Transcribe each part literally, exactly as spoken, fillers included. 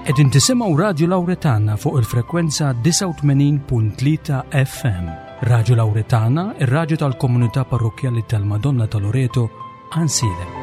Qegħdin tisimgħu Radju Lawretana fuq il-frekwenza disgħa u tmenin punt tlieta F M. Radju Lawretana, ir-radju tal-komunità parrokkjali tal-Madonna ta' Loreto, Għajnsielem.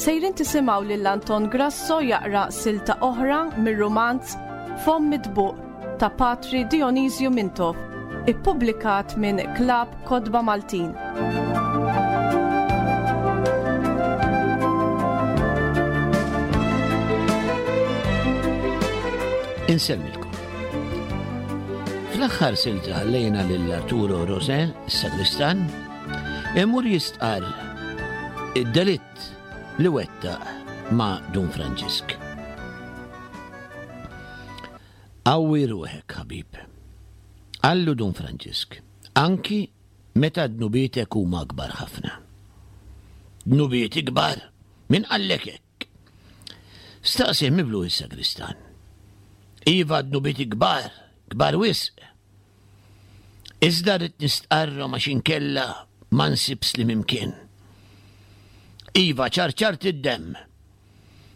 Sejrin tisimgħu lil Anton Grasso jaqra silta oħra mir-rumanz Fomm Mitbuq ta' Patri Dionisju Mintoff, ippubblikat minn Klabb Kotba Maltin. Insellmilkom. Fl-aħħar silta ħallejna lil Arturo Rosè, is-sagristan, imur jistqarr id-delitt li wettaq ma' Dun Franġisk. Qawwi ruħek, ħabib. Qallu Dun Franġisk, anki meta dnubietek huma kbar ħafna. Dnubieti kbar? Min qallek hekk? Staqsih miblu is-sagristan. Iva dnubieti kbar, kbar wisq. Iżda rrid nistqarrhom għax inkella ma nsibs li mimkien. Iva, ċarċart id-demm.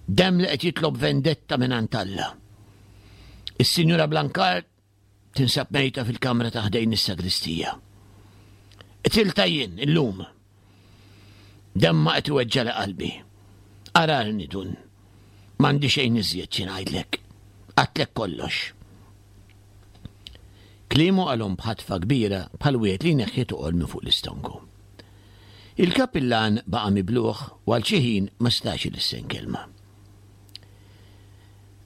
Demm li qed jitlob vendetta minn għand Alla. Is-Sinjura Blancard tinsab mejta fil-kamra ta' ħdejn is-sagristija. Qtilta jien illum. Demma qed iweġġa' qalbi. Ararni dun. M'għandi xejn iżjed xi ngħidlek. Għadtlek kollox. Kliemu qalhom b'ħatfa kbira bħal wieħed li jneħħi toqol minn fuq l-istonku. Il-kapillan baqa' mibluħ u għal xi ħin ma setax ilissen kelma.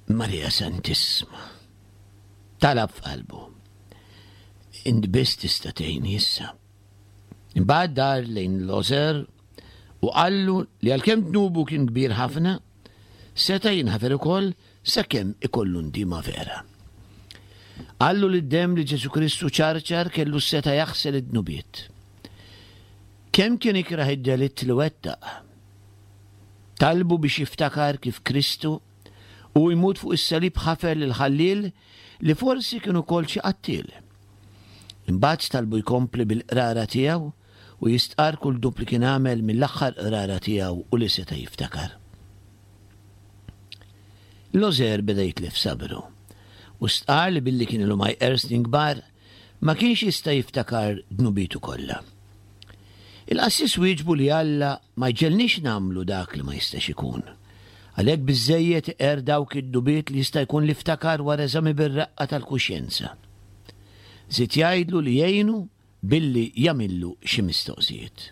Maria Santissima, talab f'qalbu. Int biss tista' tgħinni issa. Imbagħad dar lejn Loser u qallu li għalkemm dnubu kien kbir ħafna, seta' jinħafer ukoll sakemm ikollu ndima vera. Qallu li d-demm li Ġesu Kristu ċarċar kellu seta' jaħsel id-dnubiet. Kemm kien ikrah id-delitt li wettaq? Talbu biex jiftakar kif Kristu u jmut fuq is-salib ħafer lil ħalliel li forsi kien ukoll xi qattiel. Imbagħad talbu jkompli bil-qrara tiegħu u jistqar kull dnub li kien għamel mill-aħħar qrara tiegħu u li seta' jiftakar. Loser beda jitlef sabru u stqar li billi kien ilu ma jqer snin kbar ma kienx jista' jiftakar dnubitu kollha. Il-qassis wieġbu li Alla ma jġelniex nagħmlu dak li ma jistax ikun. Għalhekk biżżejjed iqer dawk id-dubiet li jista' jkun li ftakar wara eżami bir-raqqa tal-kuxjenza. Żied jgħidlu li jgħinu billi jagħmillu xi mistoqsijiet.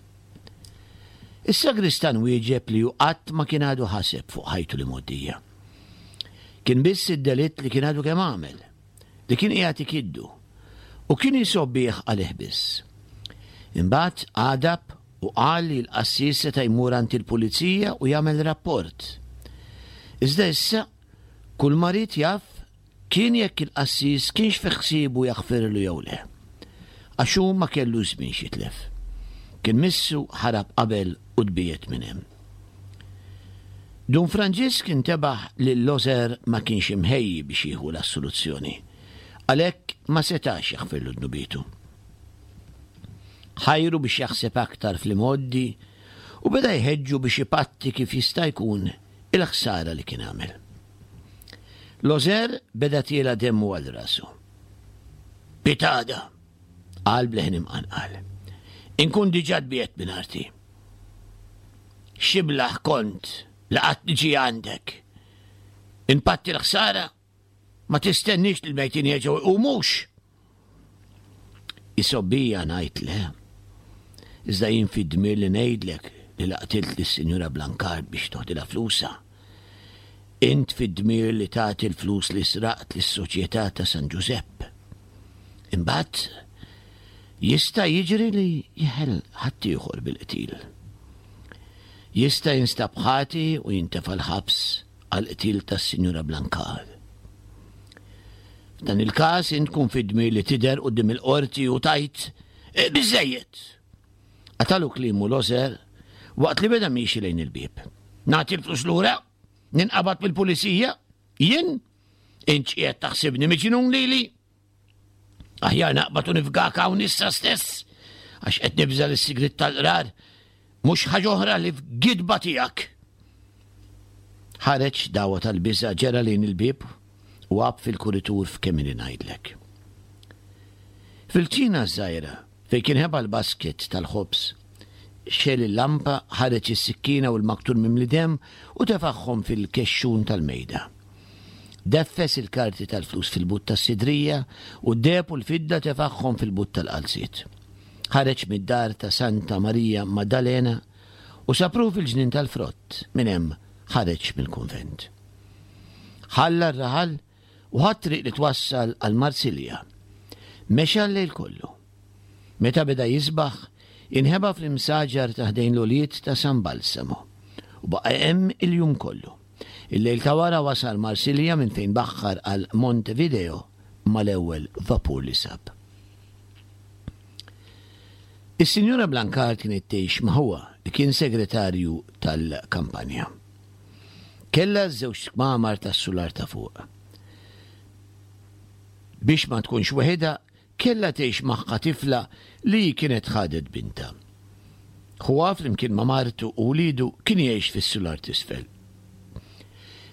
Is-sagristan wieġeb li hu qatt ma kien għadu ħaseb fuq ħajtu li mgħoddija. Kien biss id-delitt li kien għadu kemm għamel, li kien qiegħed ikiddu, u kien jisobbih għalih biss. Imbagħad għadab u qal li l-qassis seta' jmur għand il-pulizija u jagħmel rapport. Iżda issa kull ma ried jaf kien jekk il-qassis kienx fi ħsiebu jaħfirlu jew le. Għax hu ma kellu żmien xitlef. Kien missu ħarab qabel u tbiegħed minn hemm. Dun Franġisk intebaħ li Loser ma kienx imħejji biex jieħu l-assoluzzjoni. Għalhekk ma setax jaħfirlu dnubitu. Ħajru biex jaħseb aktar fl-imgħoddi u beda jħeġġu biex ipatti kif jista' jkun il-ħsara li kien għamel. Loser beda tiela demmu għal rasu. Pitada, qal bleħen imqanqal. Inkun diġà tbiegħed minn arti. Xiblaħ kont li qatt niġi għandek. Impatti l-ħsara ma tistenniex li l-mejtin jerġgħu jqumux. Isobbija ngħid le. Iżda jien fid-dmir li ngħidlek li laqtilt lis-Sinjura Blancard biex toħdilha flusha. Int fid-dmir li tagħti l-flus li sraqt lis-Soċjetà ta' San Ġużepp. Imbagħad jista' jiġri li jeħel ħaddieħor bil-qtil. Jista' jinstab ħati u jintefa' l-ħabs għall-qtil tas-Sinjura Blancard. F'dan il-każ int tkun fid-dmir li tidher quddiem il-qorti u tajt, e, biżżejjed. Qatalu kliemu Loser waqt li beda miexi lejn il-bieb. Nagħti l-flus lura? Ninqabad mill-pulizija? Jien? Int qiegħed taħsibni miġnun lili? Aħjar naqbad u nifgak hawn issa stess, għax qed nibża' lis-sigriet tal-qrar, mhux ħaġa oħra li f'gidba tiegħek. Ħareġ dawa tal-biża', ġera lejn il-bieb u għab fil-kuritur f'kemm ili ngħidlek. Fil-kċina żgħira, fejn kien ħeba l-basket tal-ħobż, xegħel il-lampa, ħareġ is-sikkina u l-maktur mimli demm u tefagħhom fil-kexxun tal-mejda. Deffes il-karti tal-flus fil-but tas-sidrija u d-deheb u l-fidda tefagħhom fil-but tal-qalziet. Ħareġ mid-dar ta' Santa Marija Maddalena u sapru fil-ġnien tal-frott, minn hemm ħareġ mill-kunvent. Ħalla r-raħal u ħa t-triq li twassal għal Marsilja. Mexa l-lejl kollu. Meta beda jisbaħ, inħeba fl-imsaġar ta' ħdejn l-għoljiet ta' San Balsamo u baqa' hemm il-jum kollu. Il-lejl ta' wara wasal Marsilja minn fejn baħħar għal Montevideo mal-ewwel vapur li sab. Is-Sinjura Blancard kienet tgħix ma' ħuha li kien segretarju tal-kampanja. Kellha żewġ kmamar tas-sular ta' fuq. Biex ma tkunx weħidha, kellha tgħix magħha tifla li hi kienet ħadet bintha. Ħuha flimkien ma' martu u wliedu kien jgħix fis-sular t'isfel.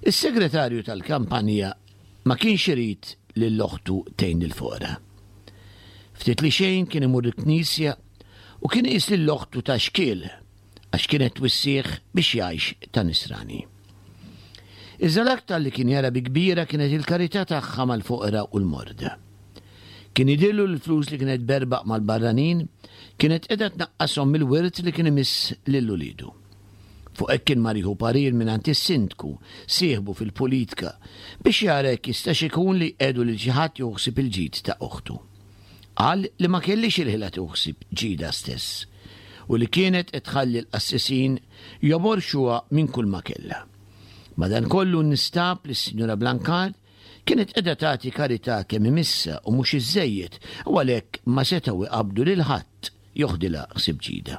Is-segretarju tal-kampanja ma kienx irid lil oħtu tgħin lill-foqra. Ftit li xejn kien imur il-knisja u kien iqis lil oħtu ta' xkiel għax kienet twissih biex jgħix ta' nisrani. Iżda l-aktar li kien jara bi kbira kienet il-karità tagħha mal-foqra u l-morda. Kien jidhirlu li l-flus li kienet tberbaq mal-barranin kienet qiegħda tnaqqashom mill-wirt li kien imiss lil uliedu. Fuq hekk kien mar jieħu parir mingħand is-sindku, sieħbu fil-politika, biex jara jekk jistax ikun li jqiegħdu lil xi ħadd jieħu ħsieb il-ġid ta' oħtu. Qal li ma kellhiex il-ħila tieħu ħsieb ġidha stess u li kienet qed tħalli l-qassisin joborxuha minn kull ma kellha. Madankollu nistab li s-Sinjura Blancard kienet qiegħda tagħti karità kemm imissha u mhux iżżejjed u għalhekk ma setgħu jqabbdu lil ħadd joħdilha ħsieb ġidha.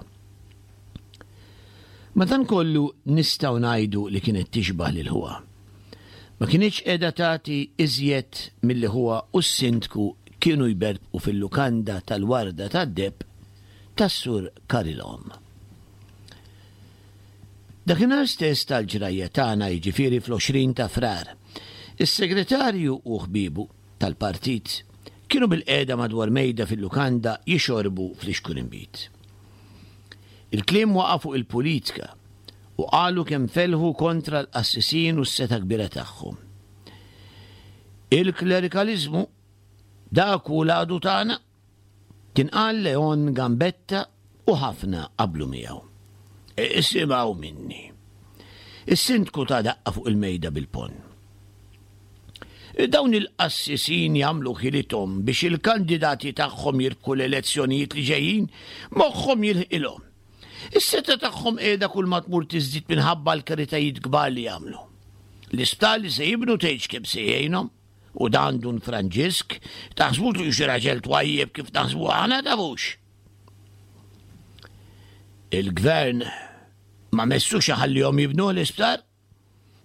Madankollu nistgħu ngħidu li kienet tixbah lil ħuha. Ma kinitx qiegħda tagħti iżjed milli ħuha u s-sindku kienu jberbqu fil-lukanda tal-Warda tad-Deheb tas-Sur Carilom. Dakinhar stess tal-ġrajja tagħna, jiġifieri fl-għoxrin ta' Frar, is-segretarju u ħbiebu tal-partit kienu bilqiegħda madwar mejda fil-lukanda jixorbu flixkun inbid. Il-kliem waqa' fuq il-politika u qalu kemm felħu kontra l-qassisin u s-setgħa kbira tagħhom. Il-klerikaliżmu dak hu l-għadu tagħna, kien qal Leon Gambetta u ħafna qablu miegħu. Isimgħu minni. Is-sindku ta daqqa fuq il-mejda bil-ponn. Dawn il-qassisin jagħmlu ħilithom biex il-kandidati tagħhom jirbħu l-elezzjonijiet li ġejjin, moħħhom jilħqilhom. Is-setgħa tagħhom qiegħda kull ma tmur tiżdied minħabba l-karitajiet kbar li jagħmlu. L-isptar li se jibnu tgħidx kemm se jgħinhom, u dan Dun Franġisk taħsbu li xi raġel twajjeb kif taħsbu aħna tafux. Il-gvern ma messux iħallihom jibnu l-isptar.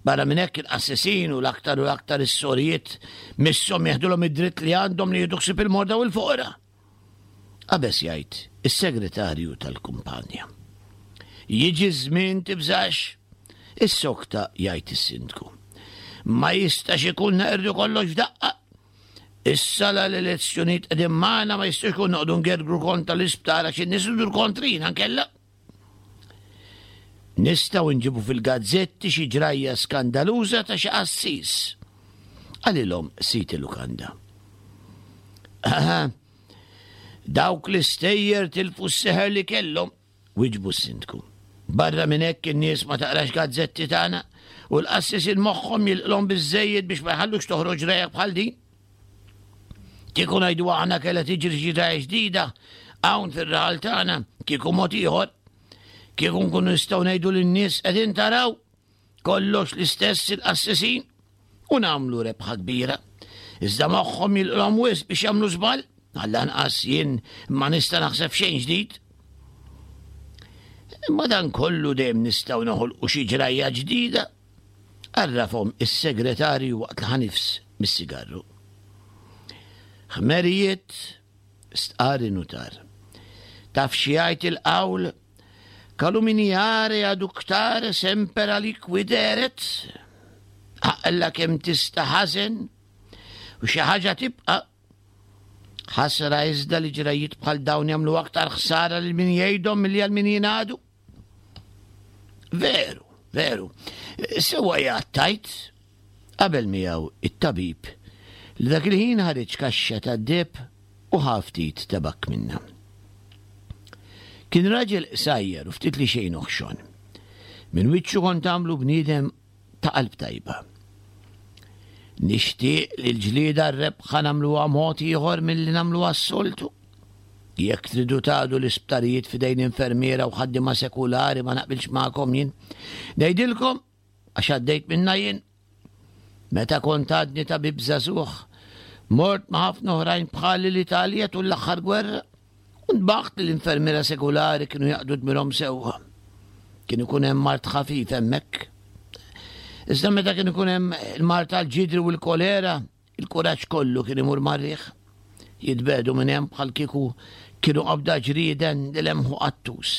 Barra minn hekk il-qassisin u l-aktar u l-aktar is-sorijiet misshom jeħdulhom id-dritt li għandhom li jieħdu ħsieb il-morda u l-foqra. Qabeż jgħid is-segretarju tal-kumpanja. Jiġi ż-żmien tibżax, issokta jgħid is-sindku. Ma jistax ikun naqirdu kollox f'daqqa. Issa la l-elezzjonijiet qegħdin magħna ma jistax ikun noqogħdu ngergru kontra l-isptar għax in-nies idur kontrina nkella. Nistgħu nġibu fil-gazzetti xi ġrajja skandaluża ta' xi qassis. Qalilhom sid il-lukanda. Dawk l-istejjer tilfu s-seħer li kellhom, wieġbu s-sindku. Barra minn hekk in-nies ma taqrax gazzetti tagħna u l-qassisin moħħhom jilqlhom biżżejjed biex ma jħallux toħroġ ġrajja bħal din. Kieku ngħidu aħna kellha tiġri xi ġrajja ġdida hawn fir-raħal tagħna, kieku mod ieħor. Kieku nkunu nistgħu ngħidu lin-nies qegħdin taraw kollox l-istess il-qassisin u nagħmlu rebħa kbira. Iżda moħħhom jilqlhom wisq biex jagħmlu żball, għall-anqas jien ma nista' naħseb xejn ġdid. Imma dan kollu dejjem nistgħu noħolqu xi ġrajja ġdida, għarrafhom is-segretarju waqt li ħa nifs mis-sigarru. Ħmerijiet, stqarr in-nutar. Taf xi jgħid il-qawl? Calumniare aductare semper aliquid eret. Aqla kemm tista' ħażen u xi ħaġa tibqa'. Ħasra iżda li ġrajiet bħal dawn jagħmlu aktar ħsara lil min jgħidhom milli għal min jingħadu. Veru, veru. Sewwa qiegħed tgħid, qabel miegħu it-tabib li dak il-ħin ħareġ kaxxa tad-deheb u ħa ftit tabakk minnha. Kien raġel qsajjar u ftit li xejn oħxon. Minn wiċċu kont tagħmlu bniedem ta' qalb tajba. Nixtieq li l-ġlieda r-rebħa nagħmluha mod ieħor milli nagħmluha s-soltu. Jekk tridu tgħadu l-isptarijiet f'idejn infermiera u ħaddiema sekulari ma naqbilx magħkom jien. Ngħidilkom għax għaddejt minna jien. Meta kont għadni tabib żagħżugħ, mort ma' ħafna oħrajn bħali l-Italja tul l-aħħar gwerra u nbaħt li l-infermiera sekulari kienu jaqdu dmirhom sewwa. Kien ikun hemm mard ħafif hemmhekk. Iżda meta kien ikun hemm il-mard tal-ġidri u l-kolera, il-kuraġġ kollu kien imur mar-riħ. Jitbedu minn hemm bħal kieku kienu qabda ġrieden li lemħu qattus.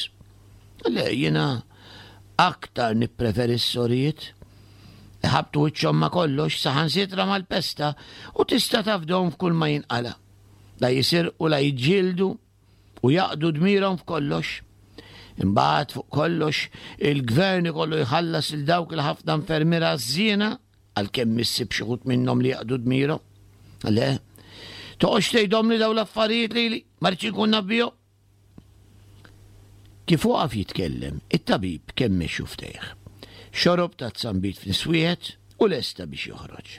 Le, jiena aktar nippreferi s-sorijiet. Iħabbtu wiċċhom ma' kollox, saħansitra mal-pesta, u tista' tafdhom f'kull ma jinqala. La jisirqu, la jiġġieldu u jaqdu dmirhom f'kollox. Imbagħad fuq kollox il-gvern ikollu jħallas lil dawk il-ħafna infermiera żiena għalkemm issib xi wħud minnhom li jaqdu dmirhom. Le, toqgħodx tgħidhom li dawn l-affarijiet lili, ma rridx inkun naf bihom. Kif waqaf jitkellem, it-tabib kemmex xuftejh. Xorob ta' zambit f'niswieħed u lesta biex joħroġ.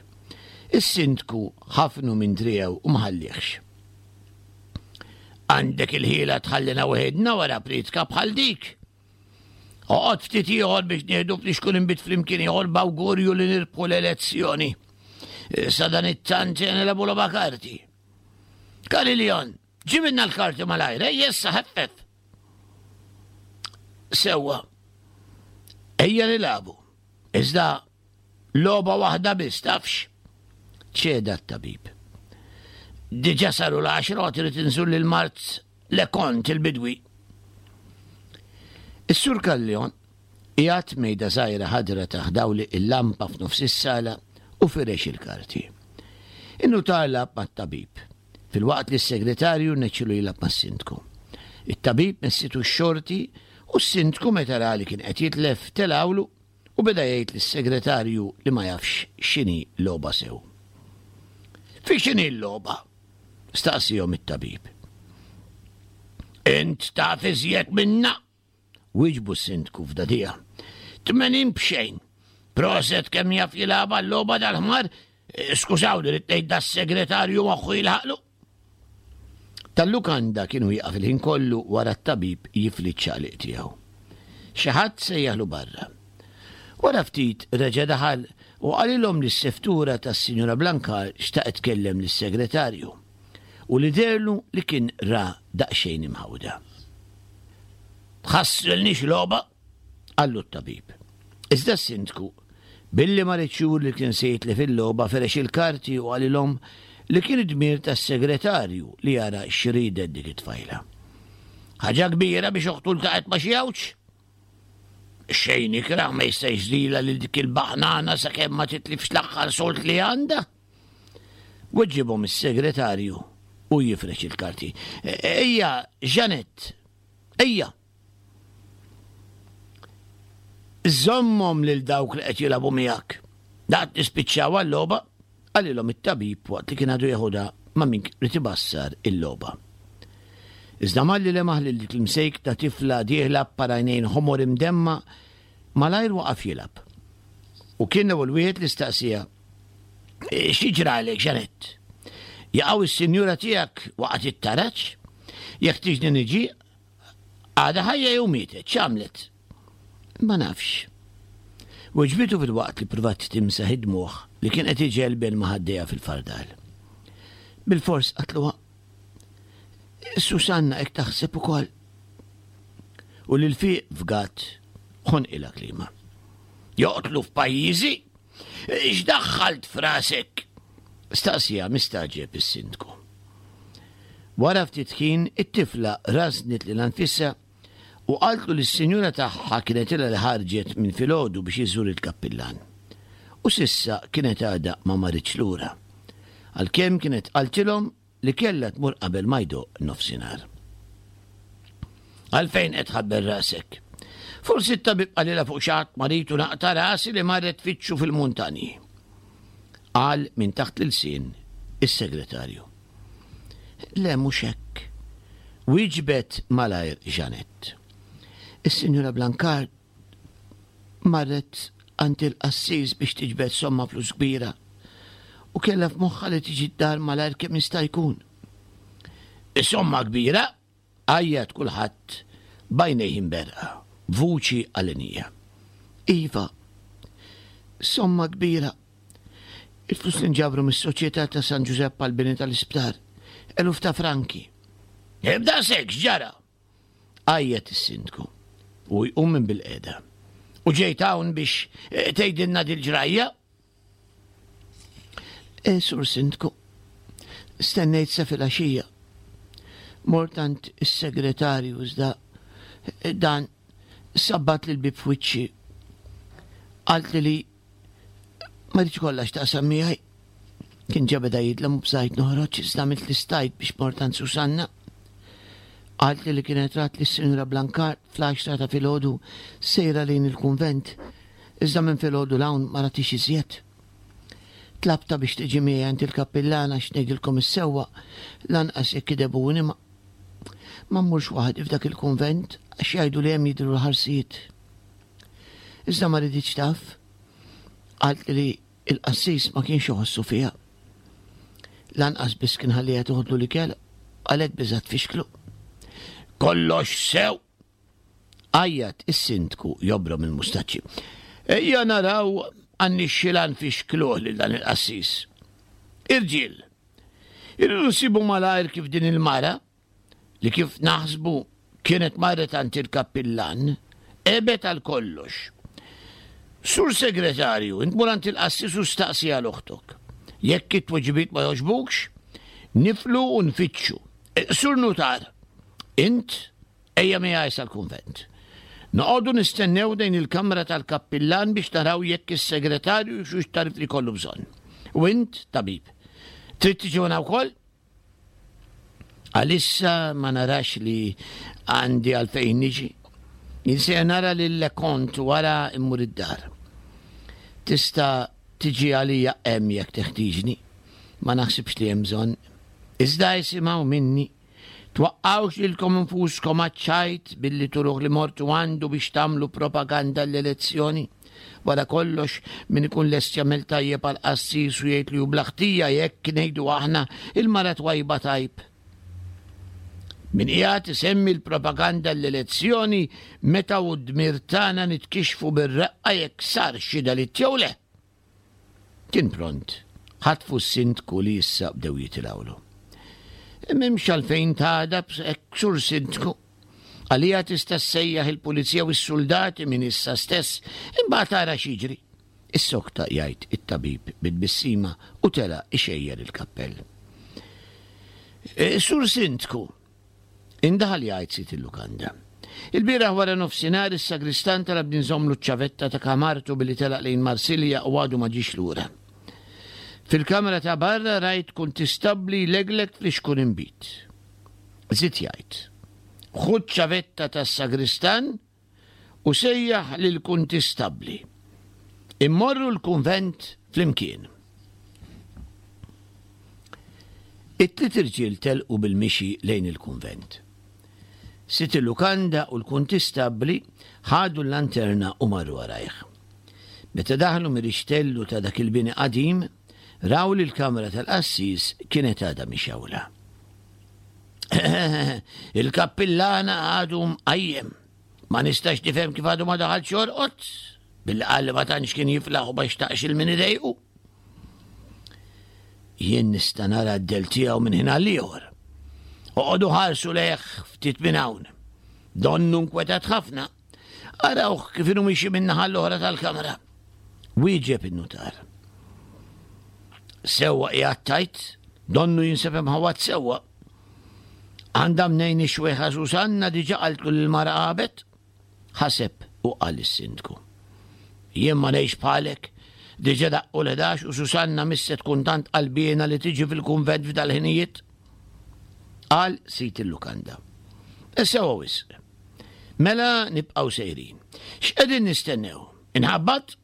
Is-sindku ħafnu minn driegħu u ma ħallihx. Għandek il-ħila tħallina weħidna wara pritka bħal dik. Oqgħod ftit ieħor biex nieħdu flixkun inbid flimkien ieħor b'awgurju li nirbħu l-elezzjoni. Sa dan it-tant nilagħbu logħba karti. Kariljon, ġibilna l-karti malajr, ejja issa ħeffef. Sewwa, ejja nilagħbu. Iżda logħba waħda biss tafx. Ċeda t-tabib. Diġà saru l-għaxra u trid inżur lil mart Lekont il-bidwi. Is-Sur Kallion qiegħed mejda żgħira ħadra taħt dawli il-lampa f'nofs is-sala u firex il-karti. In-nutar lagħab mat-tabib, filwaqt li s-segretarju rnexxielu jilgħab mas-sindku. It-tabib messitu x-xorti u s-sindku meta ra li kien qed jitlef telgħulu u beda jgħid lis-segretarju li ma jafx x'inhi logħba sew. Fi x'inhi l-logħba? Staqsihom it-tabib. Int taf iżjed minna? Wieġbu s-sindku f'dadija. Tmenin b'xejn. Proset kemm jaf jilgħabha l-logħba dal-ħmar, skużawni rrid ngħid das-segretarju moħħu jilħaqlu. Tal-lukanda kienu jieqaf il-ħin kollu wara t-tabib jifli ċ-ċaqliq tiegħu. Xi ħadd sejjaħlu barra. Wara ftit reġa' daħal u qalilhom li s-seftura tas-Sinjura Blancard xtaqet tkellem lis-segretarju u li derlu li kien ra daqsxejn imħawda. Tħassrilniex logħba, qallu t-tabib. Iżda s-sindku, billi ma riedx juri li kien se jitlef il-logħba, ferex il-karti u qalilhom li kien id-dmir tas-segretarju li jara x'ridet dik it-tfajla. Ħaġa kbira biex oħtu ltaqgħet ma' xi għawġ. Xejn ikrah ma jista' jżdilha lil dik il-baħnana sakemm ma titlifx l-aħħar solt li għandha. Weġibhom is-segretarju u jifrex il-karti. Ejja, Janet, ejja. Żommhom lil dawk li qed jilagħbu miegħek. Daqt nispiċċaw għal-logħba, qalilhom it-tabib waqt li kien għadu jeħodha ma' min rid ibassar il-logħba. Iżda malli lemaħ lil dik l-imsejk ta' tifla dieħla b'parajnejn ħomor imdemma, malajr waqaf jilgħab. U kien l-ewwel wieħed li staqsija, Xi ġralek, Janet? Jaqgħu is-sinjura tiegħek waqgħet it-taraġ? Jekk tiġni niġi, għadha ħajja jew mietet, x'għamlet? Ma nafx. Weġbitu fil-waqt li provat timsaħ id-dmugħ li kien qed iġelben ma' ħaddejha fil-fardal. Bilfors qatluha. Susanna hekk taħseb ukoll. U lil fiq fgat ħonqilha klima. Joqtlu f'pajjiżi? X'daħħalt f'rasek? Staqsija mistagħġeb is-sindku. Wara ftit ħin it-tifla rażnet lilha nfisha u qaltlu li s-sinjura tagħha kienet ilha li ħarġet minn filgħodu biex iżżur il-kappillan. U s'issa kienet għadha ma marritx lura. Għalkemm kienet qaltilhom li kellha tmur qabel ma jdoqq nofsinhar. Għalfejn qed tħabbel rasek? Forsi t-tabib qalilha fuq xi ħadd marid u naqta' rasi li marret tfittxu fil-muntanji. Qal minn taħt l-ilsien is-segretarju. Le mhux hekk. Wieġbet malajr Jeanette. Is-Sinjura Blancard marret għand il-qassis biex tiġbed somma flus kbira u kellha f'moħħha li tiġi d-dar malajr kemm jista' jkun. Somma kbira? Għajjat kulħadd b'għajnejh imberqa, b'vuċi għalenija. Iva, somma kbira. Il-flus li nġabru mis-Soċjetà ta' San Ġużepp għall-bini tal-isptar, eluf ta' franki. Ibda sek, x'ġara? Għajjat is-sindku u jqum minn bil-qeda. U ġejt hawn biex eh, tgħidilna dil-ġrajja? Eh, Sur Sindku, stennejt sa filgħaxija. Mort għand is-segretarju iżda eh, dan sabbat li l-bib f'wiċċi. Qaltli li ma rridx kollha x'taqsam miegħi. Kien ġa beda jidlam u bżajt noħroġ iżda għamilt li stajt biex mort għand Susanna. Qaltli li kienet rat li s-Sinjura Blancard fl-għaxra ta' filgħodu sejra lejn il-kunvent, iżda minn filgħodu 'l hawn ma ratix iżjed. Tlabtha biex tiġi miegħi għand il-kappillan għax ngħidilkom is-sewwa lanqas jekk idebuni ma ma mmurx waħdi f'dak il-kunvent għax jgħidu li hemm jidhru l-ħarsijiet. Iżda ma riditx taf. Qaltli li il-qassis ma kienx iħossu fiha. Lanqas biss kien ħalliha toħodlu l-ikel għalhekk biżgħet tfixklu. Kollox sew! Għajjat is-sindku jobrom il-mustaċċi. Ejja naraw għannixxilan fixkluh lil dan il-qassis. Irġiel, irridu nsibu malajr kif din il-mara, li kif naħsbu kienet marret għand il-kappillan, għebet għal kollox. Sur segretarju, int mur għand il-qassis u staqsi għal oħtok. Jekk it-tweġibiet ma jogħġbukx, niflu u nfittxu. Sur nutar, int ejja miegħi sal-kunvent. Noqogħdu nistennew dejn il-kamra tal-kappillan biex naraw jekk is-segretarju xux tarif li kollu bżonn. U int, tabib, trid tiġi wkoll? Għalissa ma narax li għandi għalfejn niġi. Jien se nara lil Lekont wara immur id-dar. Tista' tiġi għalija hemm jekk teħtieġni. Ma naħsibx li hemm bżonn. Iżda jisimgħu minni. Twaqqgħux lilkom infuskom għaċ-ċajt billi turuh li mortu għandu biex tagħmlu propaganda l-elezzjoni. Wara kollox min ikun lest jagħmel tajjeb għal qassis u jgħid li hu bla ħtija jekk ngħidu aħna il-mara twajba tajb. Min qiegħed isemmi l-propaganda l-elezzjoni meta hu d-dmir tagħna nitkixxfu bir-reqqa jekk sar xi delitt jew le. Kien pront, ħatfu s-sindku li issa bdew jitilgħulu. M'hemmx għalfejn tagħdab hekk sur sindku. Għalija tista' ssejjaħ il-pulizija u s-soldati minn issa stess, imbagħad tara x'jiġri. Issokta jgħid it-tabib bit-tbissima u tela' ixejjer il-kappell. Sur sindku, indaħal jgħid sid il-lukanda. Il-bieraħ wara nofsinhar is-sagristan talab ninżommlu ċ-ċavetta ta' kamartu billi telaq lejn Marsilja u għadu ma ġiex lura. Fil-kamra ta' barra rajt kuntistabbli jleglek flixkun inbid. Żied jgħid, ħu ċ-ċavetta tas-sagristan u sejjaħ lill-kuntistabbli. Immorru l-kunvent flimkien. It-tliet irġiel telqu bil-mixi lejn il-kunvent. Sid il-lukanda u l-kuntistabbli ħadu l-lanterna u marru warajh. Meta daħlu mir-rixtellu ta' dak il-bini qadim, raw li l-kamra tal-qassis kienet għadha mixgħula. Il-kappillana għadu mqajjem. Ma nistax nifhem kif għadu ma daħalx jorqod, billi qal li ma tantx kien jiflaħ u ma xtaqx il min idejqu. Jien nista' nara d-del tiegħu minn ħin għal ieħor. Oqogħdu ħarsu lejh ftit minn hawn. Donnu nkwetat ħafna. Arawh kif inhu miexi min-naħa l-oħra tal-kamra. Wieġeb in-nutar. Sewwa qiegħed tgħid, donnu jinsab imħawwad sewwa. Għandha mnejn ix-xwejħa Susanna diġà qaltlu li l-mara għabet? Ħaseb u qal is-sindku. Jien ma ngħix bħalek, diġà daqqu l-ħdax u Susanna mhix se tkun tant qalbiena li tiġi fil-kunvent f'dal-ħinijiet. Qal sid il-lukanda. Sewwa wisq. Mela nibqgħu sejrin. X'qegħdin nistennew? Inħabbat?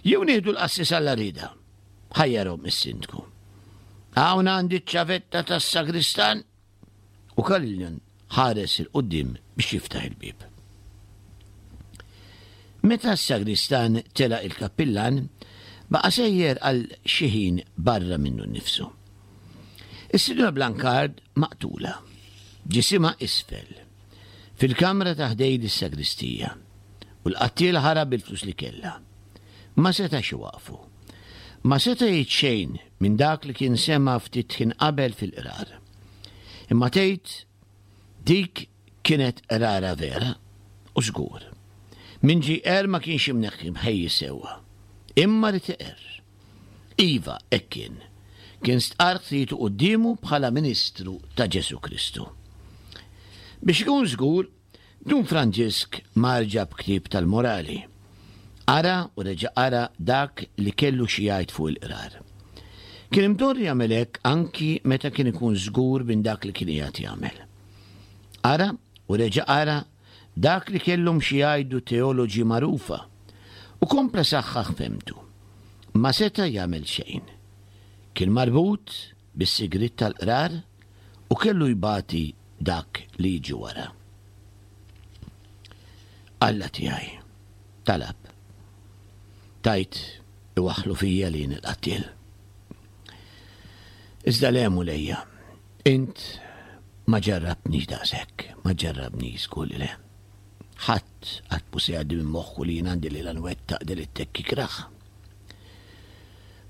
Jew nieħdu l-qassis għall-għarrieda? Ħajjarhom is-sindku. Hawn għandi ċ-ċavetta tas-sagristan u Carillion ħares 'il quddiem biex jiftaħ il-bieb. Meta s-sagristan telaq il-kappillan, baqa' sejjer għal xi ħin barra minnu nnifsu. Is-Sinjura Blancard maqtula, ġisimha isfel, fil-kamra ta' ħdejn is-sagristija, u l-qattiel ħarab bil-flus li kellha. Ma setax iwaqqfu. Ma seta' jgħid xejn minn dak li kien sema' ftit ħin qabel fil-qrar. Imma tgħid dik kienet qrara vera, u żgur. Min ġie jqerr ma kienx imneħħi mħejji sewwa. Imma ried iqerr. Iva, hekk kien. Kien stqarr ħtijtu quddiemu bħala ministru ta' Ġesù Kristu. Biex ikun żgur, Dun Franġisk mar ġab ktieb tal-morali. Qara u reġa' qara dak li kellu xi jgħid fuq il-qrar. Kien imdorri jagħmel hekk anki meta kien ikun żgur minn dak li kien qiegħed jagħmel. Qara u reġa' qara dak li kellhom xi jgħidu teoloġi magħrufa u kompla saħħaħ fehmtu. Ma seta' jagħmel xejn. Kien marbut bis-sigriet tal-qrar u kellu jbati dak li jiġi wara. Alla tiegħi, talab. Tajt iwaħħlu fija li jien il-qattiel. Iżda le Mulejja, int ma ġarrabtnix daqshekk, ma ġarrabnix żgur li le. Ħadd qatt mhu se jgħaddi minn moħħu li jien għandi lilha nwettaq delitt hekk ikrah.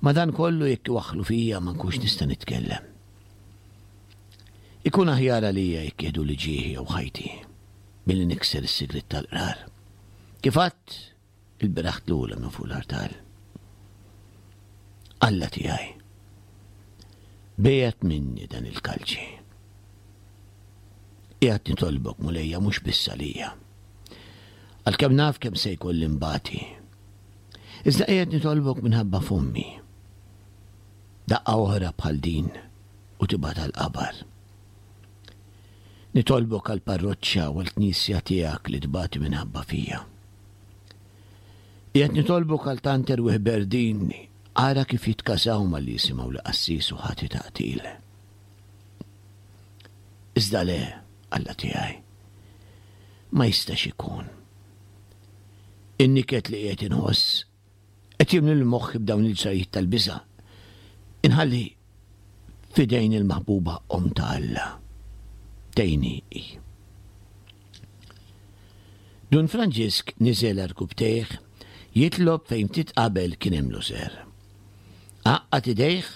Madankollu jekk iwaħħlu fija ma nkunx nista' nitkellem. Ikun aħjar għalija jekk jieħduli ġieħi jew ħajti milli nikser is-sigriet tal-qrar. Kif għadt il-bieraħ tlula minn fuq l-artal. Alla tiegħi, bejat minni dan il-kalċi. Qiegħed nitolbok Mulejja mhux biss għalija. Għalkemm naf kemm se jkolli nbati. Iżda qiegħed nitolbok minħabba f'ommi. Daqqa oħra bħal din u tibgħat għall-qabar. Nitolbok għall-parroċċa u għall-knisja tiegħek li tbati minħabba fija. Qiegħed nitolbok għal tant erwieħ berdin, ara kif jitkasaw malli jisimgħu li qassis u ħati ta' qtil. Iżda le, Alla tiegħi, ma jistax ikun. In-niket li qiegħed inħoss qed jimli l-moħħi b'dawn il-ġrajiet tal-biża'. Inħalli f'idejn il-maħbuba Omm ta' Alla. Tgħinni hi. Dun Franġisk niżel għarkupptejh jitlob fejn ftit qabel kien hemm l-użer. Għaqqad idejh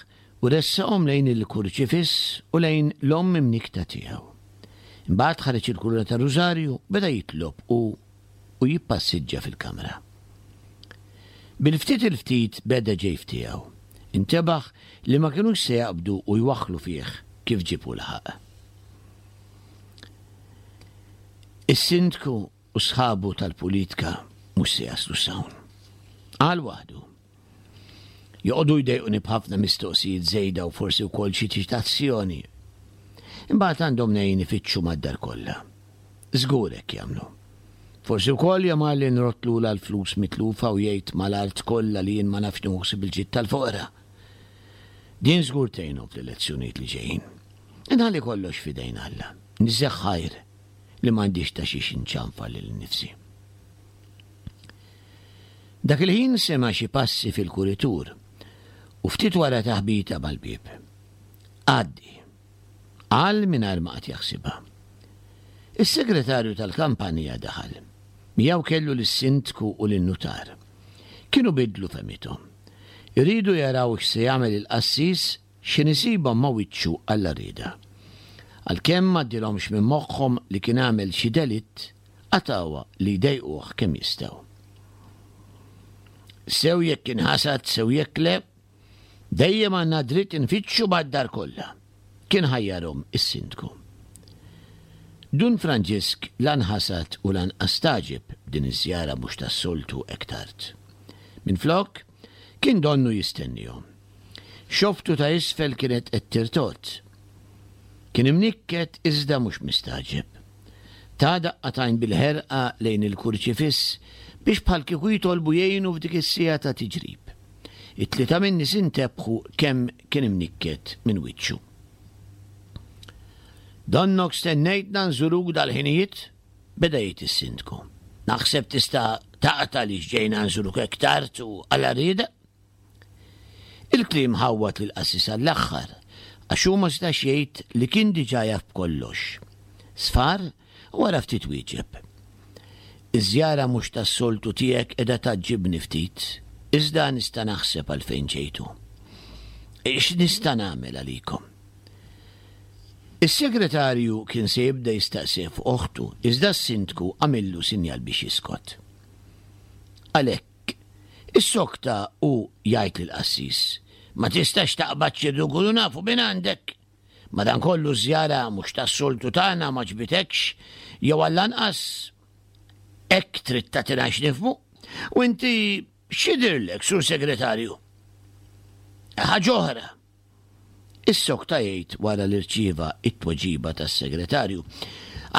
u ressaqhom lejn il-kurċifiss u lejn l-omm imnikkta tiegħu. Imbagħad ħareġ il-kuruna tar-rużarju u beda jitlob u u jippassiġġa fil-kamra. Bil-ftit il-ftit beda ġej f'tiegħu. Intebaħ li ma kinux se jaqbdu u jwaħħlu fih kif ġieb u laħaq. Is-sindku u sħabu tal-pulitka mhux se jaslu s'hawn. Qal waħdu. Joqogħdu jdejquni b'ħafna mistoqsijiet żejda u forsi wkoll xi ċitazzjoni. Imbagħad għandhom mnejn ifittxu mad-dar kollha. Żgur hekk jagħmlu. Forsi wkoll jagħmalli nrodd lura l-flus mitlufa u jgħid mal-art kollha li jien ma nafx nieħu ħsieb il-ġid tal-foqra. Din żgur tgħinhom fl-elezzjonijiet li ġejjin. Inħalli kollox f'idejn Alla. Niżżeħ ħajr li m'għandix ta' xiex inċanfar lili nnifsi. Dak il-ħin sema' xi passi fil-kuritur u ftit wara taħbita mal-bieb. Għaddi. Qal mingħajr ma qagħad jaħsibha. Is-segretarju tal-kampanja daħal. Miegħu kellu lis-sindku u lin-nutar. Kienu biddlu fehmithom. Iridu jaraw x'se jagħmel il-qassis x'ħin isibhom ma' wiċċu għall-għarrieda. Għalkemm m'għaddilhomx minn moħħhom li kien għamel xi delitt, Qatgħuha li jdejquh kemm jistgħu. Sew jekk inħasad sew jekk le, dejjem għandna dritt infittxu mad-dar kollha, kien ħajjarhom is-sindku. Dun Franġisk la nħasad u lanqas stagħġeb b'din iż-żjara mhux tas-soltu hekk tard. Minflok, kien donnu jistennihom. Xoftu ta' isfel kienet qed tirtogħod. Kien imnikket iżda mhux mistagħġeb. Ta daqqa t'għajn bil-ħerqa lejn il-kurċifiss biex bħal kieku jitolbu jgħinu f'dik is-siegħa ta' tiġrib. It-tlieta min-nies intebħu kemm kien imnikket minn wiċċu. Donnok stennejtna nżuruk dal-ħinijiet? Beda jgħid is-sindku. Naħseb tista' taqta' li ġejna nżuruk hekk tard u għal rieda. Il-kliem ħawwad lill-qassis għall-aħħar għax hu ma setax jgħid li kien diġà jaf b'kollox. Sfar u wara ftit wieġeb. Iż-żjara mhux tas-soltu tiegħek qiegħda tgħaġġibni ftit, iżda nista' naħseb għalfejn ġejtu. X'nista' nagħmel għalikom? Is-segretarju kien se jibda jistaqsih fuq oħtu, iżda s-sindku għamillu sinjal biex jiskot. Għalhekk, issokta u jgħid lill-qassis, ma tistax taqbad xi nkunu nafu minn għandek. Madankollu ż-żjara mhux tas-soltu tagħna ma għoġbitekx, jew għall-anqas hekk trid tagħtina x'nifhmu. U inti x'jidhirlek, sur segretarju? Ħaġa oħra. Issokta jgħid wara li rċieva it-tweġiba tas-segretarju.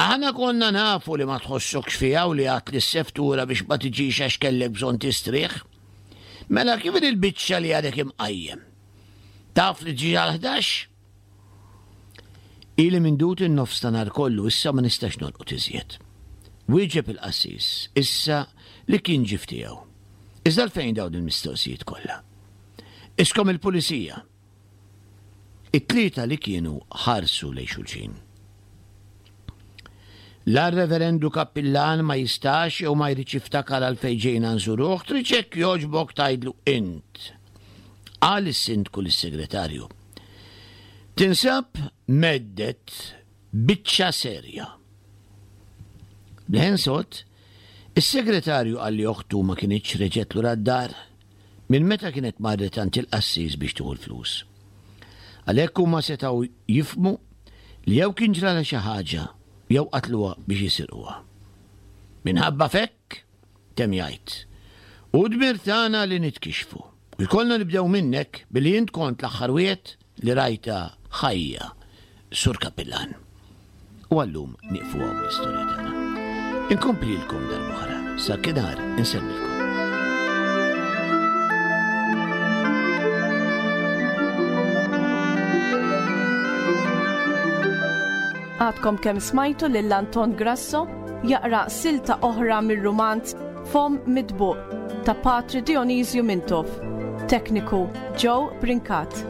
Aħna konna nafu li ma tħossokx fiha u li għedt lis-seftura biex ma tiġix għax kellek bżonn tistrieħ. Mela kif il-biċċa li għadek imqajjem? Taf li ġi għal ħdax? Ili mindud in-nofs ta' nhar kollu issa ma nistax norqod iżjed. Wieġeb il-qassis issa li kien ġie f'tiegħu. Iżda għalfejn dawn il-mistoqsijiet kollha? Iskom il-pulizija. It-tlieta li kienu ħarsu lejn xulxin. La r-reverendu kappillan ma jistax jew ma jridx jiftakar għalfejn ġejna nżuruh, trid hekk jogħġbok tgħidlu int. Qal is-sindku lis-segretarju. Tinsab mhedded biċċa serja. B'leħen sod, is-segretarju qal li oħtu ma kinitx reġgħet lura d-dar minn meta kienet marret għand il-qassis biex tieħu l-flus. Għalhekk huma setgħu jifhmu li jew kien ġralha xi ħaġa jew qatluha biex jisirquha. Minħabba f'hekk, temm jgħid, hu dmir tagħna li nitkixxfu. U jkollna nibdew minnek billi int kont l-aħħar wieħed li rajtha ħajja, Sur Kappillan. U għallum nieqfu hawn l-istorja tagħna. Inkomplilkom darb'oħra, sa dakinhar insellmilkom. Għadkom kemm smajtu lil Anton Grasso jaqra silta oħra mir-rumanz Fomm Mitbuq ta' Patri Dionisju Mintoff. Tekniku Joe Brincat.